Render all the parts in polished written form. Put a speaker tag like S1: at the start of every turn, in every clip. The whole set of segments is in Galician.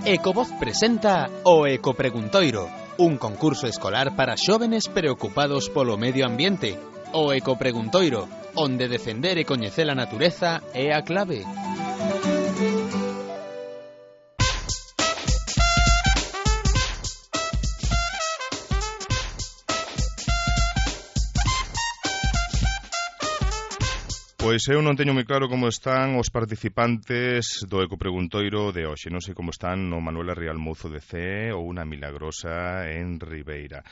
S1: Ecovoz presenta o Ecopreguntoiro, un concurso escolar para xóvenes preocupados polo medio ambiente. O Ecopreguntoiro, onde defender e coñecer a natureza é a clave.
S2: Pois eu non teño moi claro como están os participantes do Ecopreguntoiro de hoxe. Non sei como están no Manuela Rial Mouzo de CE ou na Milagrosa en Ribeira.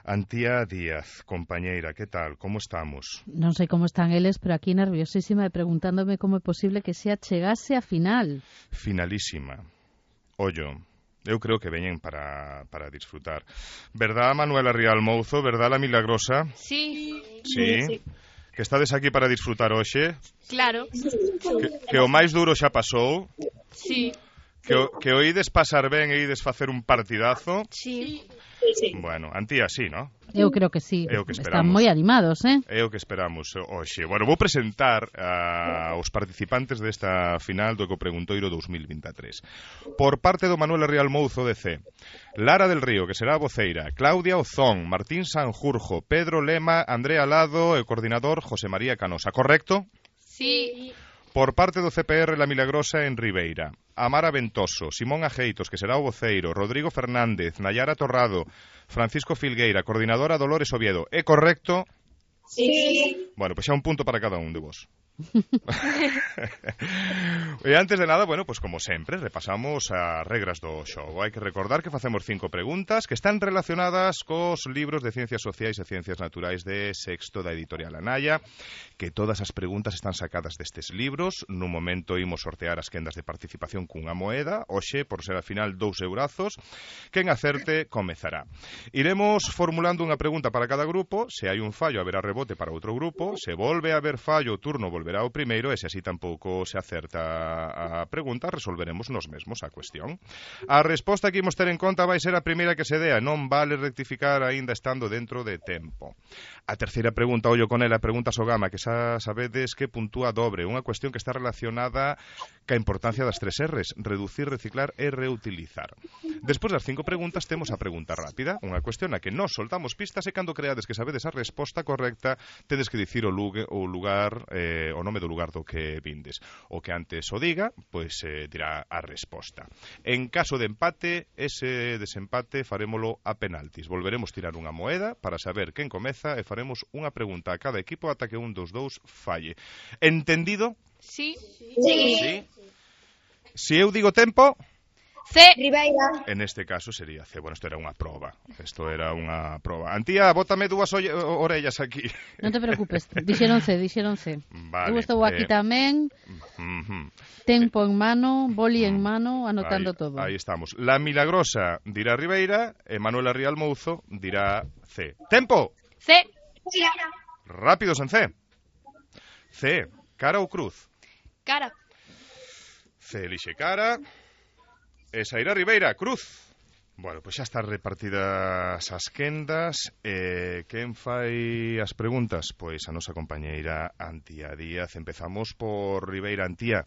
S2: Antía Díaz, compañeira, que tal? Como estamos?
S3: Non sei como están eles, pero aquí nerviosísima e preguntándome como é posible que xa chegase a final.
S2: Finalísima. Ollo, eu creo que veñen para disfrutar. Verdad, Manuela Rial Mouzo? Verdad, la Milagrosa?
S4: Sí.
S2: Sí. Que estades aquí para disfrutar hoxe?
S4: Claro.
S2: Que o máis duro xa pasou?
S4: Sí.
S2: Que o ides pasar ben e ides facer un partidazo?
S4: Sí.
S2: Bueno, Antía, sí, ¿no?
S3: Eu creo que sí.
S2: É o que
S3: Están
S2: esperamos.
S3: moi animados,
S2: É o que esperamos hoxe. Bueno, vou presentar aos participantes desta final do Ecopreguntoiro 2023. Por parte do Manuela Rial Mouzo de C, Lara del Río, que será a voceira, Claudia Ozón, Martín Sanjurjo, Pedro Lema, Andrea Lado e o coordinador José María Canosa, correcto?
S4: Sí.
S2: Por parte do CPR La Milagrosa en Ribeira, Amara Ventoso, Simón Ajeitos, que será o voceiro, Rodrigo Fernández, Nayara Torrado, Francisco Filgueira, coordinadora Dolores Oviedo. É correcto?
S4: Sí.
S2: Bueno, pois xa un punto para cada un de vos. E antes de nada, bueno, pues como sempre, repasamos as regras do xogo. Hai que recordar que facemos 5 preguntas que están relacionadas cos libros de Ciencias Sociais e Ciencias Naturais de sexto da editorial Anaya, que todas as preguntas están sacadas destes libros. Nun momento imos sortear as quendas de participación cunha moeda, hoxe, por ser a final, 2 eurazos. Quen acerte, comezará. Iremos formulando unha pregunta para cada grupo. Se hai un fallo, haberá rebote para outro grupo. Se volve a haber fallo, o turno volverá ao primeiro, e se así tampouco se acerta a pregunta, resolveremos nos mesmos a cuestión. A resposta que imos ter en conta vai ser a primeira que se dea, non vale rectificar aínda estando dentro de tempo. A terceira pregunta, ollo con ela, pregunta Sogama, que xa sabedes que puntúa dobre, unha cuestión que está relacionada ca importancia das 3 R's, reducir, reciclar e reutilizar. Despois das 5 preguntas temos a pregunta rápida, unha cuestión na que nos soltamos pistas e cando creades que sabedes a resposta correcta, tedes que dicir o lugar, o nome do lugar do que vindes. O que antes o diga, pois dirá a resposta. En caso de empate, ese desempate farémolo a penaltis. Volveremos tirar unha moeda para saber quen comeza e faremos unha pregunta a cada equipo ata que un dos dous falle. Entendido?
S4: Sí.
S2: Sí. Si eu digo tempo...
S4: C.
S5: Ribeira.
S2: En este caso sería C. Bueno, isto era unha proba. Antía, bótame dúas orellas aquí.
S3: Non te preocupes, dixeron C.
S2: Vale.
S3: Eu estou aquí tamén, tempo en mano, boli en mano, anotando todo.
S2: Aí estamos. La Milagrosa dirá Ribeira e Manuela Rial Mouzo dirá C. Tempo!
S4: C.
S2: Rápidos en C. C. Cara ou cruz?
S4: Cara.
S2: C. Elixe cara. E sairá Ribeira, cruz. Bueno, pois xa están repartidas as quendas. Quen fai as preguntas? Pois a nosa compañeira Antía Díaz. Empezamos por Ribeira. Antía.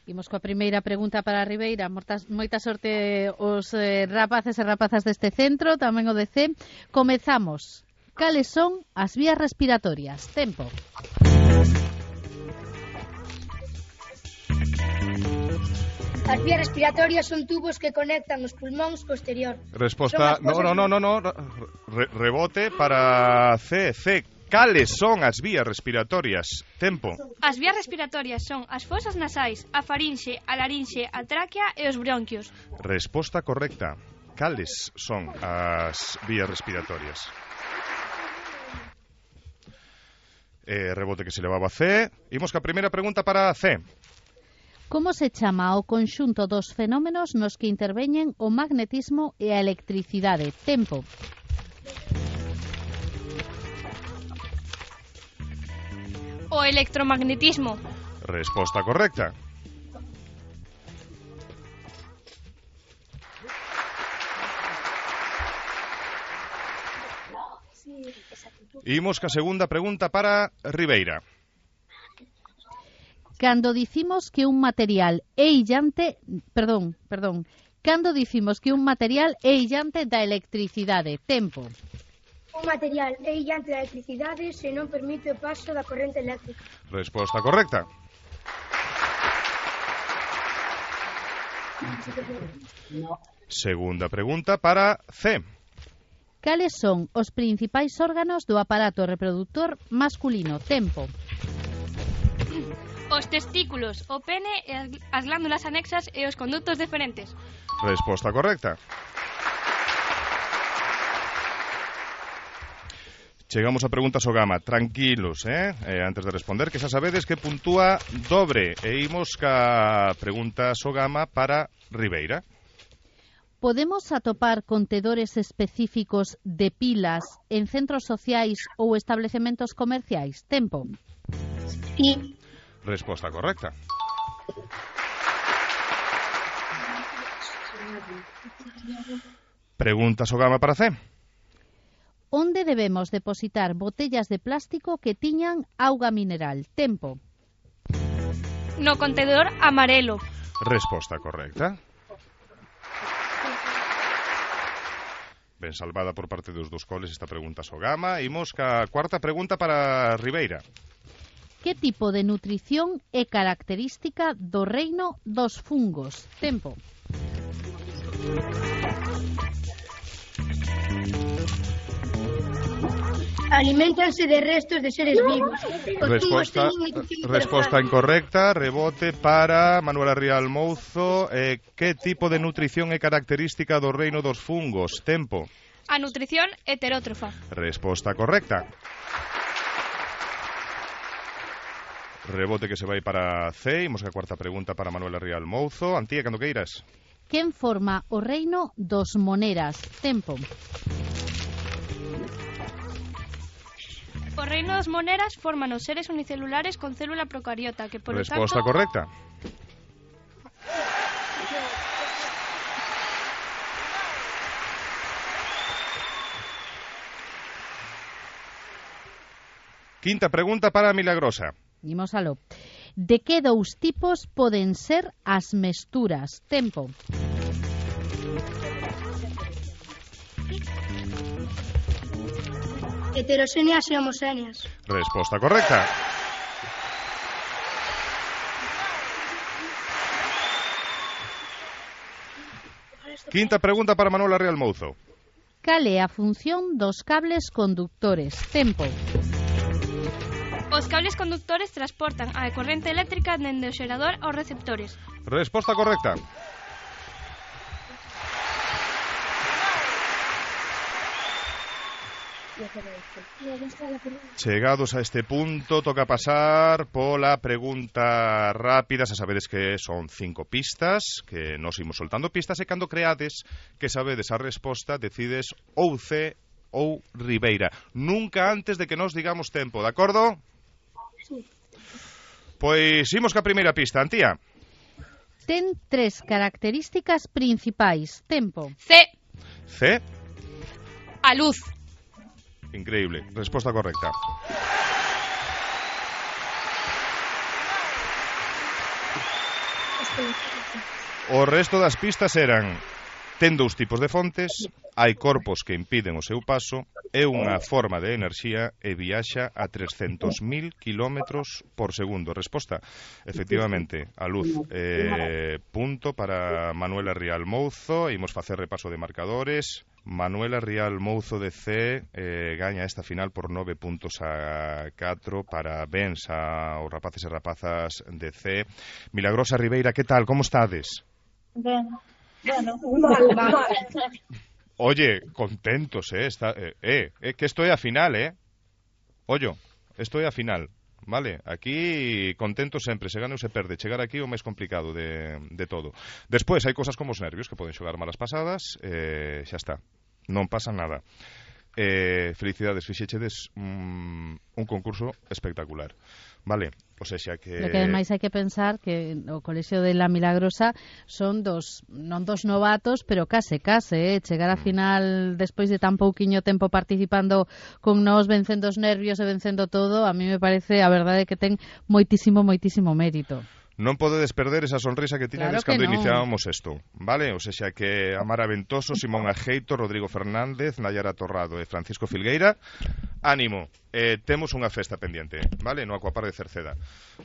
S3: Imos coa primeira pregunta para Ribeira. Moita sorte os rapaces e rapazas deste centro, tamén o de C. Comezamos. Cales son as vías respiratorias? Tempo.
S5: As vías respiratorias son tubos que conectan os pulmóns co exterior.
S2: Resposta, no. Rebote para C. Cales son as vías respiratorias? Tempo.
S4: As vías respiratorias son as fosas nasais, a farinxe, a larinxe, a tráquea e os bronquios.
S2: Resposta correcta. Cales son as vías respiratorias? Rebote que se levaba a C. Imos ca primeira pregunta para C.
S3: Como se chama o conxunto dos fenómenos nos que interveñen o magnetismo e a electricidade? Tempo.
S4: O electromagnetismo.
S2: Resposta correcta. Imos ca segunda pregunta para Ribeira.
S3: Cando dicimos que un material é illante, Cando dicimos que un material é illante da electricidade? Tempo.
S5: Un material é illante da electricidade se non permite o paso da corrente eléctrica.
S2: Resposta correcta. Segunda pregunta para C.
S3: Cales son os principais órganos do aparato reproductor masculino? Tempo.
S4: Os testículos, o pene, as glándulas anexas e os conductos deferentes.
S2: Resposta correcta. Chegamos a preguntas o gama. Tranquilos, antes de responder, que xa sabedes que puntúa dobre. E imos ca preguntas o gama para Ribeira.
S3: Podemos atopar contedores específicos de pilas en centros sociais ou establecementos comerciais? Tempo.
S5: Sí.
S2: Resposta correcta. Preguntas o gama para C.
S3: Onde debemos depositar botellas de plástico que tiñan auga mineral? Tempo.
S4: No contenedor amarelo.
S2: Resposta correcta. Ben salvada por parte dos dos coles esta pregunta so gama. Imos ca cuarta pregunta para Ribeira.
S3: Que tipo de nutrición é característica do reino dos fungos? Tempo.
S5: Aliméntanse de restos de seres vivos.
S2: Resposta incorrecta. Rebote para Manuela Rial Mouzo. Que tipo de nutrición é característica do reino dos fungos? Tempo.
S4: A nutrición heterótrofa.
S2: Resposta correcta. Rebote que se vai para C. Imos a cuarta pregunta para Manuela Rial Mouzo. Antía, cando queiras.
S3: Quen forma o reino dos moneras? Tempo.
S4: O reino das moneras forman os seres unicelulares con célula procariota, que polo
S2: Resposta
S4: tanto...
S2: correcta. Quinta pregunta para Milagrosa.
S3: Imos aló. De que dous tipos poden ser as mesturas? Tempo.
S5: Heterogéneas e homogéneas.
S2: Resposta correcta. Quinta pregunta para Manuela Rial Mouzo.
S3: Cal é a función dos cables conductores? Tempo.
S4: Os cables conductores transportan a corrente eléctrica dende o xerador aos receptores.
S2: Resposta correcta. Chegados a este punto, toca pasar pola pregunta rápida. Xa sabedes que son 5 pistas, que nos imos soltando pistas, e cando creades que sabedes a resposta, decides ou C ou Ribeira. Nunca antes de que nos digamos tempo, de acordo?
S5: Sí.
S2: Pois imos ca primeira pista, Antía.
S3: Ten 3 características principais. Tempo.
S4: C.
S2: C.
S4: A luz.
S2: Increíble. Resposta correcta. O resto das pistas eran: ten 2 tipos de fontes, hai corpos que impiden o seu paso, é unha forma de enerxía e viaxa a 300.000 kilómetros por segundo. Resposta, efectivamente, a luz. Punto para Manuela Rial Mouzo. Imos facer repaso de marcadores. Manuela Rial Mouzo de C gaña esta final por 9 puntos a 4 para bens aos rapaces e rapazas de C. Milagrosa Ribeira, que tal? Como estades?
S6: Ben, bueno, mal.
S2: Oye, contentos, que esto é a final, Ollo, esto é a final, vale? Aquí contentos sempre, se gana ou se perde. Chegar aquí é o máis complicado de todo. Despois hai cosas como os nervios que poden xogar malas pasadas, xa está, non pasa nada. Felicidades, fixechedes un concurso espectacular, vale? O sea que...
S3: Lo que ademais hai que pensar que o Colexio de la Milagrosa son non dos novatos, pero case, chegar a final despois de tan pouquiño tempo participando con nós, vencendo os nervios e vencendo todo, a mí me parece, a verdade, que ten moitísimo mérito.
S2: non podedes perder esa sonrisa que tiñades
S3: Claro que
S2: cando
S3: non.
S2: iniciábamos isto, vale? O sea que Amara Ventoso, Simón Ajeito, Rodrigo Fernández, Nayara Torrado e Francisco Filgueira, ánimo, temos unha festa pendiente, vale? No Aquapar de Cerceda.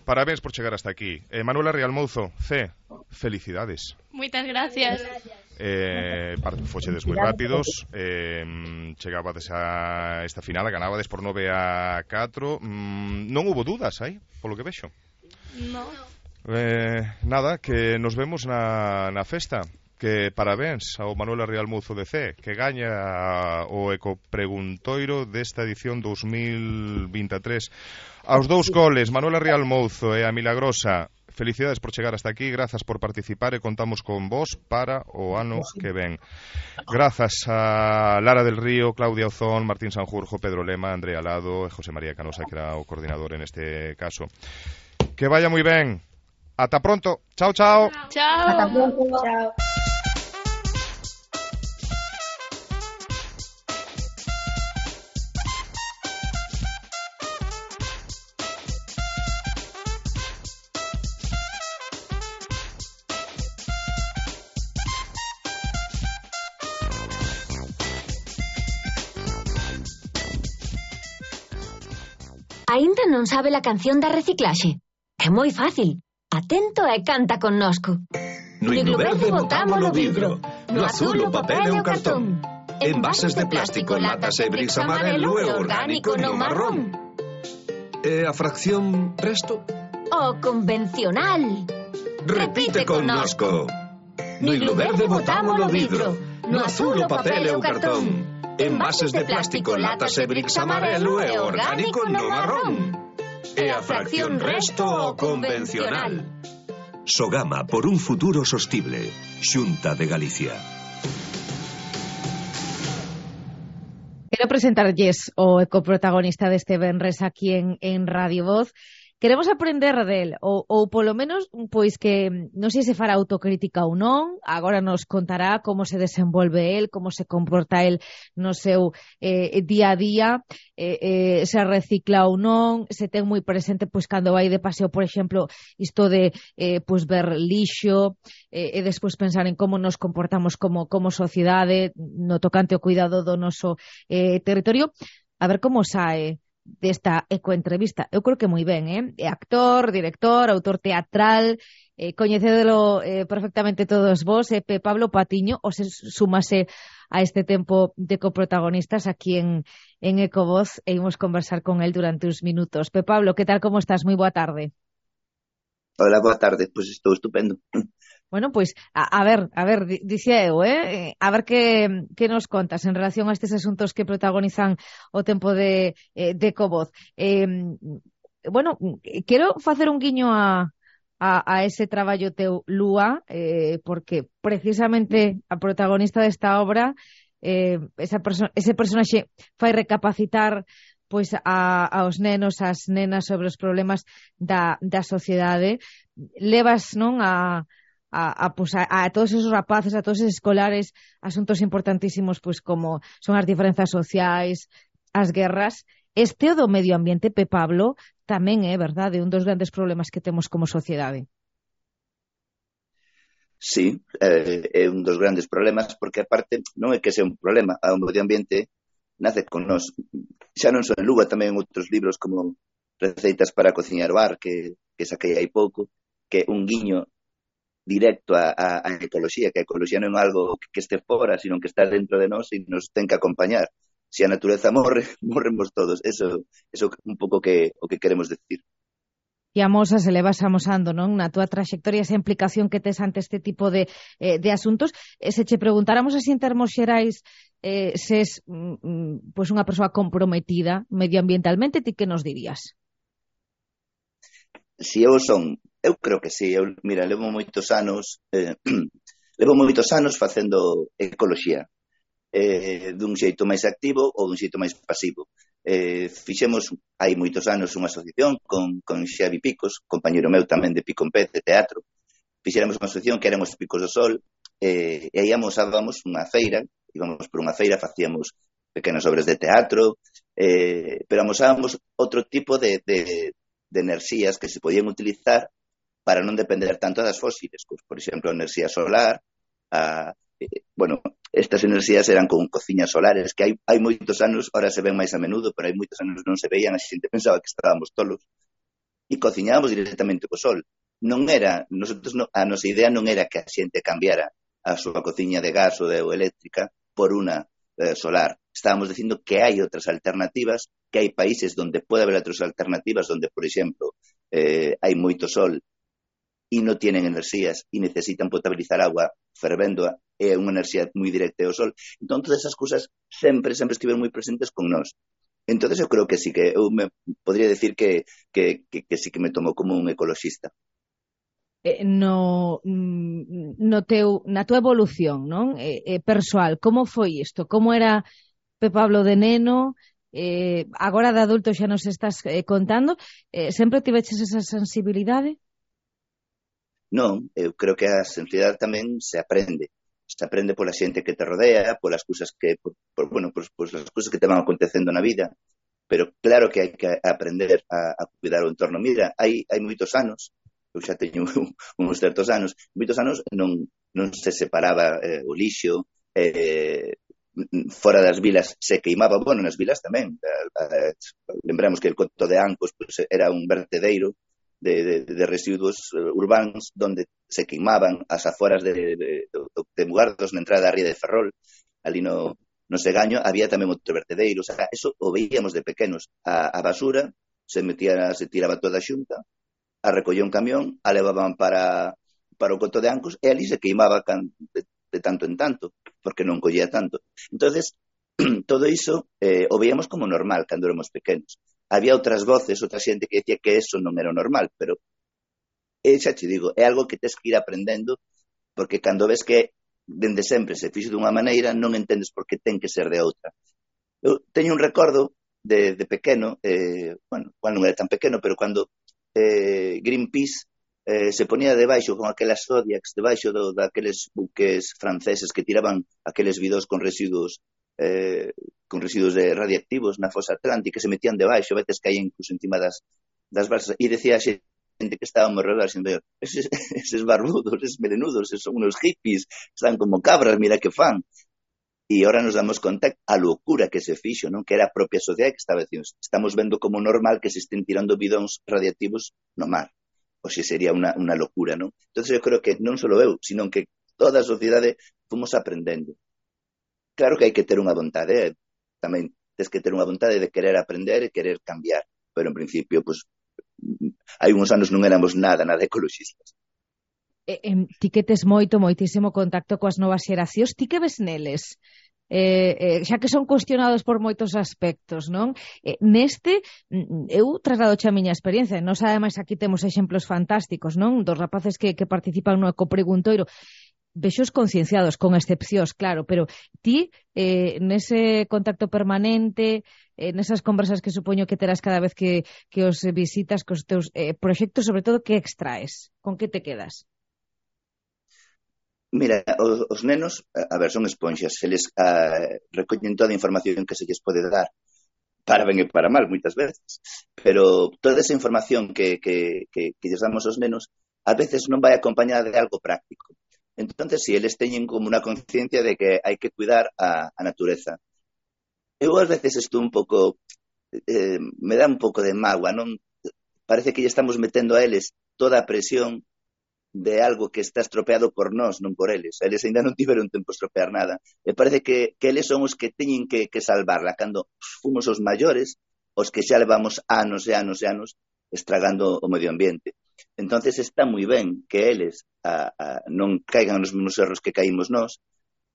S2: Parabéns por chegar hasta aquí. Manuela Rialmouzo, felicidades.
S4: Moitas gracias.
S2: Fochedes moi rápidos, chegabades a esta final, ganabades por 9-4, non hubo dudas aí, polo que vexo.
S4: No.
S2: Nada, que nos vemos na festa. Que parabéns ao Manuela Rialmouzo de C, que gaña o ecopreguntoiro desta edición 2023. Aos dous coles, Manuela Rialmouzo e a Milagrosa, felicidades por chegar hasta aquí, grazas por participar e contamos con vos para o ano que ven. Grazas a Lara del Río, Claudia Ozón, Martín Sanjurjo, Pedro Lema, Andrea Lado e José María Canosa, que era o coordinador en este caso. Que vaya moi ben. Ata pronto. Chao, chao.
S4: Chao.
S6: Hasta pronto. Chao.
S7: Aínda non sabe a canción da reciclaxe? É moi fácil. Atento e canta connosco.
S8: No himno verde botámolo vidro, no azul o papel e o cartón. Envases de plástico, latas e bricks amarelo e orgánico no marrón. E a fracción resto?
S7: O convencional.
S8: Repite connosco. No himno verde botámolo vidro, no azul o papel e o cartón. Envases de plástico, latas e bricks amarelo e orgánico no marrón. E a fracción resto o convencional. Sogama por un futuro sostible. Xunta de Galicia.
S3: Quero presentarlles o ecoprotagonista deste venres aquí en Radio Voz. Queremos aprender del, ou polo menos, pois que non sei se fará autocrítica ou non, agora nos contará como se desenvolve el, como se comporta el no seu día a día, se recicla ou non, se ten moi presente pois cando vai de paseo, por exemplo, isto de pois ver lixo, e despois pensar en como nos comportamos como sociedade no tocante ao cuidado do noso territorio. A ver como sae desta ecoentrevista. Eu creo que moi ben, é actor, director, autor teatral, coñecédelo perfectamente todos vos, Pablo Patiño, o se sumase a este tempo de coprotagonistas aquí en Ecovoz e imos conversar con el durante uns minutos. Pablo, que tal, como estás? Moi boa tarde.
S9: Hola, boa tarde, pois estou estupendo.
S3: Bueno, pois, a ver, dicía eu, a ver que nos contas en relación a estes asuntos que protagonizan o tempo de Ecovoz. Bueno, quero facer un guiño a ese traballo teu, Lúa, porque precisamente a protagonista desta obra, ese personaxe fai recapacitar pois aos nenos, ás nenas sobre os problemas da sociedade. Levas, non, a todos esos rapaces, a todos esos escolares, asuntos importantísimos pois como son as diferenzas sociais, as guerras. Este o do medio ambiente, Pablo, tamén é verdade, un dos grandes problemas que temos como sociedade.
S9: Sí, é un dos grandes problemas, porque aparte non é que sea un problema, o medio ambiente nace con nós. Xa non só en Luga, tamén en outros libros como Receitas para cociñar bar, que saquei hai pouco, que un guiño directo a ecoloxía, que a ecoloxía non é algo que este fora, sino que está dentro de nós e nos ten que acompañar. Se a natureza morre, morremos todos. Eso un pouco o que queremos decir.
S3: E a mosa se levas amosando, non? Na túa traxectoria, esa implicación que tes ante este tipo de asuntos. Se che preguntáramos así en termos xerais, se es pois unha persoa comprometida medioambientalmente, ti que nos dirías?
S9: Si eu son, eu creo que sí. Mira, levo moitos anos facendo ecoloxía, dun xeito máis activo ou dun xeito máis pasivo. Fixemos hai moitos anos unha asociación con Xavi Picos, compañeiro meu tamén de Pico en Pez, de teatro. Fixéramos unha asociación que éramos Picos do Sol, e aí amosábamos unha feira, íbamos por unha feira, facíamos pequenas obras de teatro, pero amosábamos outro tipo de enerxías que se podían utilizar para non depender tanto das fósiles, por exemplo, a enerxía solar, estas enerxías eran con cociñas solares que hai moitos anos, ahora se ven máis a menudo, pero hai moitos anos non se veían, a xente pensaba que estábamos tolos, e cociñábamos directamente co sol. A nosa idea non era que a xente cambiara a súa cociña de gas ou eléctrica por unha solar. Estábamos dicindo que hai outras alternativas, que hai países onde pode haber outras alternativas, onde, por exemplo, hai moito sol e non tienen enerxías e necesitan potabilizar agua fervéndoa, é unha enerxía moi directa ao sol. Entón, todas esas cousas sempre estiveron moi presentes con nós. Entonces, eu creo que sí, que eu podría decir que sí que me tomou como un ecoloxista.
S10: Na tua evolución, non? Persoal, como foi isto? Como era Pablo de neno? Agora de adulto xa nos estás contando. Sempre tiveches esa sensibilidade?
S9: Non, eu creo que a sensibilidade tamén se aprende. Se aprende pola xente que te rodea, polas cousas que, as cousas que te van acontecendo na vida. Pero claro que hai que aprender a cuidar o entorno. Mira, hai moitos anos, eu xa teño uns certos anos, non se separaba o lixo, fora das vilas se queimaba, nas vilas tamén. Lembramos que el Coto de Ancos era un vertedeiro de residuos urbanos donde se queimaban as aforas de Mugardos na entrada da ría de Ferrol, ali no Segaño había tamén outro vertedeiro. O sea, eso o veíamos de pequenos. A basura se tiraba toda xunta, a recollía un camión, a levaban para o Coto de Ancos e ali se queimaba de tanto en tanto, porque non collía tanto. Entonces, todo iso o veíamos como normal cando éramos pequenos. Había outras voces, outra xente que decía que eso non era normal, pero xa te digo, é algo que tes que ir aprendendo, porque cando ves que dende sempre se fixo dunha maneira, non entendes por que ten que ser de outra. Eu teño un recordo de pequeno, non era tan pequeno, pero cando Greenpeace se ponía debaixo con aquelas Zodiacs, debaixo daqueles buques franceses que tiraban aqueles bidós con residuos radiactivos na fosa atlántica, se metían debaixo, veces caían incluso encima das balsas, e decía a xente que estaba alrededor, eses barbudos, eses melenudos, son unos hippies, están como cabras, mira que fan. E ahora nos damos conta a locura que se fixo, non? Que era a propia sociedade que estaba dicindo, estamos vendo como normal que se estén tirando bidóns radiactivos no mar. O se sería unha locura, non? Entón, eu creo que non só eu, sino que toda a sociedade fomos aprendendo. Claro que hai que ter unha vontade, tamén tens que ter unha vontade de querer aprender e querer cambiar, pero en principio, hai uns anos non éramos nada ecoloxistas.
S10: Ti que tes moitísimo contacto coas novas xeracións, ti que ves neles? Xa que son cuestionados por moitos aspectos, non? Neste, eu trasladoche a miña experiencia, non ademais aquí temos exemplos fantásticos, non? Dos rapaces que participan no ecopreguntoiro, vexos concienciados, con excepcións, claro, pero ti, nese contacto permanente, nesas conversas que supoño que terás cada vez que os visitas cos teus proxectos, sobre todo, que extraes? Con que te quedas?
S9: Mira, os nenos, son esponxas, se les recollen toda a información que se lles pode dar, para ben e para mal, moitas veces, pero toda esa información que lles damos aos nenos, a veces non vai acompañada de algo práctico. Entonces, si eles teñen como unha conciencia de que hai que cuidar a natureza. Eu ás veces estou un pouco, me dá un pouco de mágoa, non? Parece que lle estamos metendo a eles toda a presión de algo que está estropeado por nós, non por eles. Eles ainda non tiveron tempo a estropear nada. E parece que eles son os que teñen que salvarla. Cando fomos os maiores, os que xa levamos anos e anos e anos estragando o medio ambiente. Entonces está moi ben que eles non caigan nos mesmos erros que caímos nós,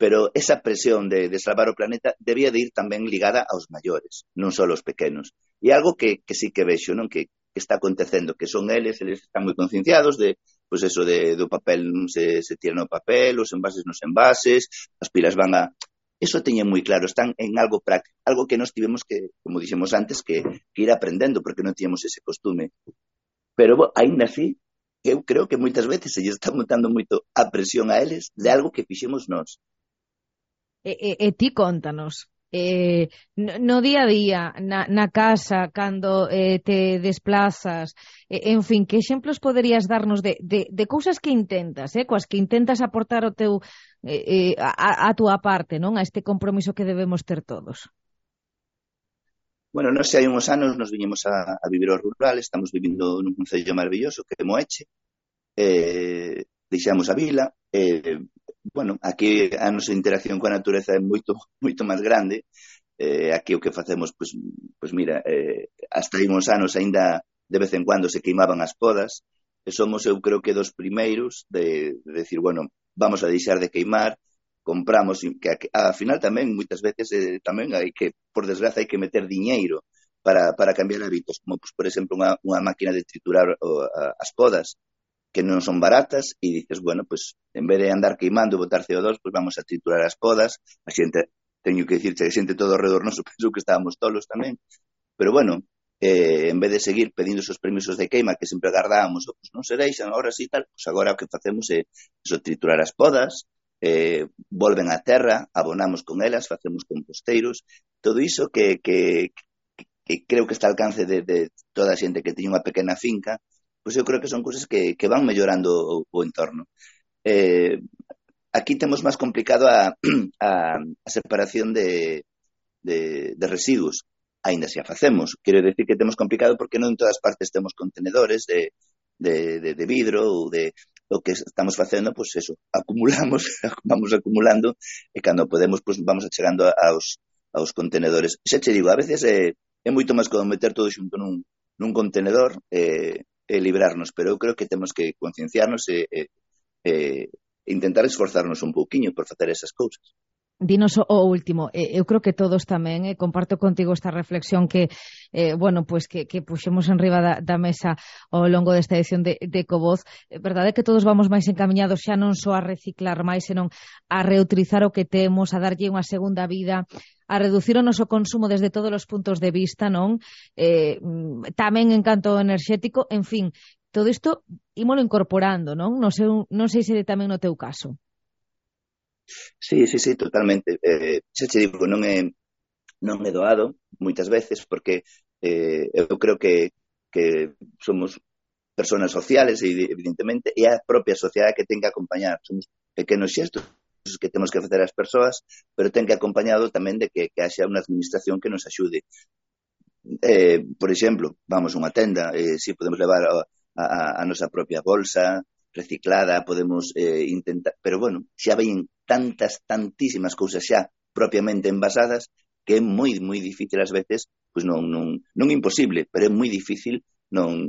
S9: pero esa presión de salvar o planeta debía de ir tamén ligada aos maiores, non só aos pequenos. E algo que sí que vexo, non? Que está acontecendo, que son eles están moi concienciados de, pois eso, do papel non se tira no papel, os envases nos envases, as pilas van a... Eso teñen moi claro, están en algo práctico, algo que nós tivemos que, como dixemos antes, que ir aprendendo, porque non tíamos ese costume. Pero, ainda así, eu creo que moitas veces se lle está montando moito a presión a eles de algo que fixemos nós.
S10: E ti contanos, no día a día, na casa, cando te desplazas, en fin, que exemplos poderías darnos de cousas que intentas, coas que intentas aportar o teu a túa parte, non? A este compromiso que debemos ter todos.
S9: Bueno, non sei, hai uns anos nos viñemos a vivir ao rural, estamos vivindo nun concello maravilloso que é Moeche, deixamos a vila, bueno, aquí a nosa interacción coa natureza é moito máis grande. Aquí o que facemos, pois mira, hasta hai uns anos ainda de vez en cuando se queimaban as podas, e somos, eu creo que dos primeiros de decir, bueno, vamos a deixar de queimar, compramos, que ao final tamén, moitas veces, tamén hai que, por desgraza, hai que meter diñeiro para cambiar hábitos, como, por exemplo, unha máquina de triturar as podas, que non son baratas, e dices, bueno, pues en vez de andar queimando e botar CO2, pues vamos a triturar as podas. A xente, teño que dicirche, a xente todo ao redor noso pensou que estábamos tolos tamén, pero bueno, en vez de seguir pedindo esos permisos de queima que sempre agardábamos, pues non se deixan, ahora sí tal, pues agora o que facemos é eso, triturar as podas, volven á terra, abonamos con elas, facemos composteiros, todo iso que creo que está ao alcance de toda a xente que teña unha pequena finca. Pois eu creo que son cousas que van mellorando o entorno. Aquí temos máis complicado a separación de residuos, aínda se a facemos. Quero decir que temos complicado porque non en todas partes temos contenedores de vidro ou de o que estamos facendo, pois eso, vamos acumulando e cando podemos, pois vamos achegando aos contenedores. Xa che digo, a veces é moito máis como meter todo xunto nun contenedor librarnos, pero eu creo que temos que concienciarnos e intentar esforzarnos un pouquiño por facer esas cousas.
S10: Dinos o último, eu creo que todos tamén, comparto contigo esta reflexión que, bueno, pues que puxemos en riba da mesa ao longo desta edición de Ecovoz. Verdade é que todos vamos máis encaminhados xa non só a reciclar máis, senón a reutilizar o que temos, a darlle unha segunda vida, a reducir o noso consumo desde todos os puntos de vista, non? Tamén en canto enerxético, en fin, todo isto ímolo incorporando, non? Non sei se tamén no teu caso.
S9: Sí, totalmente. Xa che digo, non é doado moitas veces porque eu creo que somos personas sociales, evidentemente, e a propia sociedade que ten que acompañar. Somos pequenos xestos que temos que facer as persoas, pero ten que acompañado tamén de que haxa unha administración que nos axude. Por exemplo, vamos a unha tenda, si podemos levar a nosa propia bolsa reciclada, podemos intentar, pero bueno, xa veñen tantísimas cousas xa propiamente envasadas que é moi difícil ás veces, pois non imposible, pero é moi difícil non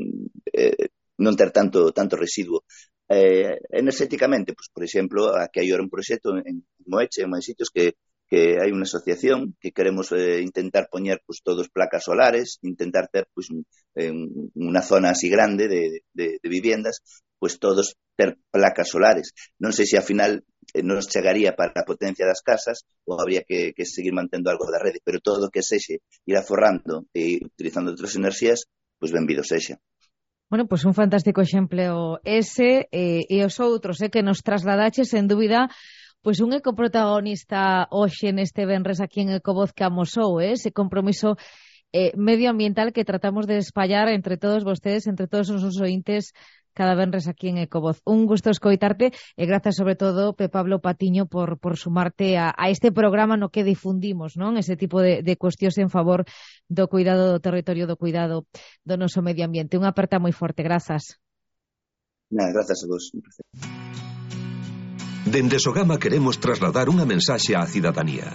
S9: ter tanto residuo. Enerxéticamente, pues, por exemplo, aquí hai un proxecto en Moeche, en máis sitios que hai unha asociación que queremos intentar poñer pues, todos placas solares, intentar ter pues, unha zona así grande de viviendas, pues todos ter placas solares. Non sei se ao final nos chegaría para a potencia das casas ou habría que seguir mantendo algo da rede, pero todo o que sexe ir aforrando e utilizando outras enerxías, pues benvido sexa.
S10: Bueno, pois un fantástico exemplo ese e os outros que nos trasladaches, sen dúbida, pois un ecoprotagonista hoxe neste venres aquí en Ecovoz que amosou, ese compromiso medioambiental que tratamos de espallar entre todos vostedes, entre todos os ointes, cada venres aquí en Ecovoz. Un gusto escoitarte e grazas sobre todo, Pablo Patiño, por sumarte a este programa no que difundimos, non? Ese tipo de cuestións en favor do cuidado do territorio, do cuidado do noso medio ambiente. Unha aperta moi forte, grazas.
S9: Grazas a vos.
S8: Dende Sogama queremos trasladar unha mensaxe á cidadanía.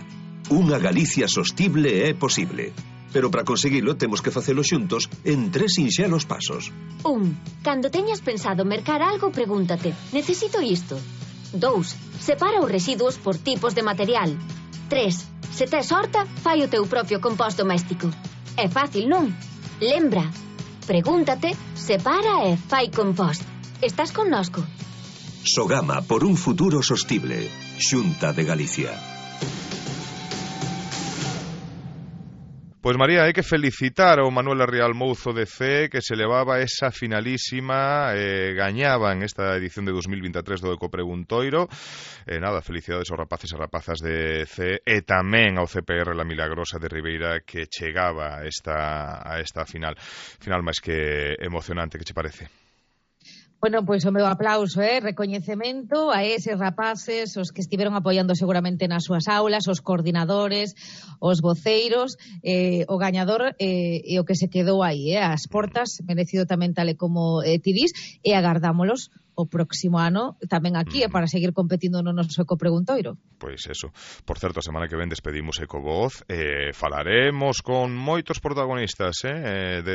S8: Unha Galicia sostible é posible. Pero para conseguilo temos que facelo xuntos en 3 sinxelos pasos.
S7: 1. Cando teñas pensado mercar algo, pregúntate: necesito isto? 2. Separa os residuos por tipos de material. 3. Se tes horta, fai o teu propio compost doméstico. É fácil, non? Lembra, pregúntate, separa e fai compost. Estás connosco?
S8: Sogama por un futuro sostible. Xunta de Galicia.
S2: Pois María, hai que felicitar ao Manuel Rial Mouzo de C, que se levaba esa finalísima, gañaban esta edición de 2023 do Ecopreguntoiro. Nada, felicidades aos rapaces e rapazas de C e tamén ao CPR La Milagrosa de Ribeira, que chegaba a esta final máis que emocionante. Que che parece?
S10: Bueno, pois o meu aplauso, recoñecemento a eses rapaces, os que estiveron apoiando seguramente nas súas aulas, os coordinadores, os voceiros, o gañador e o que se quedou aí, as portas, merecido tamén tal e como ti dis, e agardámolos o próximo ano tamén aquí para seguir competindo no noso Ecopreguntoiro.
S2: Pois eso. Por certo, a semana que ven despedimos Ecovoz, falaremos con moitos protagonistas do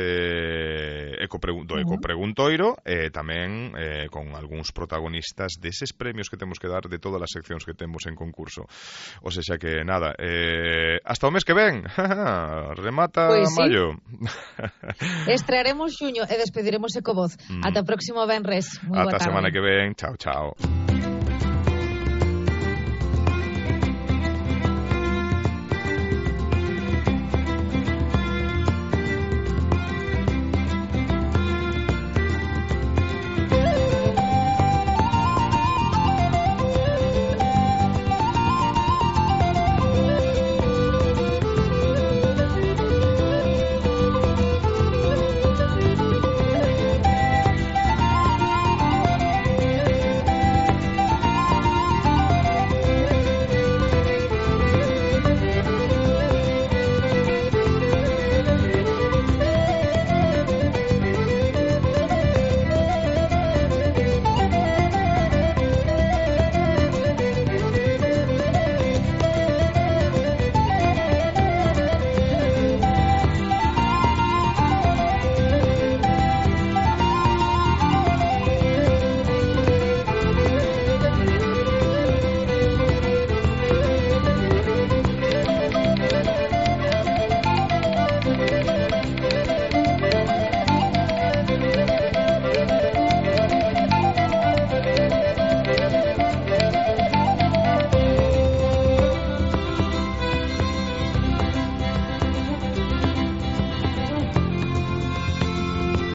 S2: Ecopreguntoiro, tamén con algúns protagonistas deses premios que temos que dar de todas as seccións que temos en concurso. O sea que nada, hasta o mes que ven. Remata
S10: pues
S2: maio.
S10: Sí. Estrearemos xuño e despediremos Ecovoz. Ata o próximo venres. Moi boa tarde.
S2: Ata a semana que ven. Chao, chao.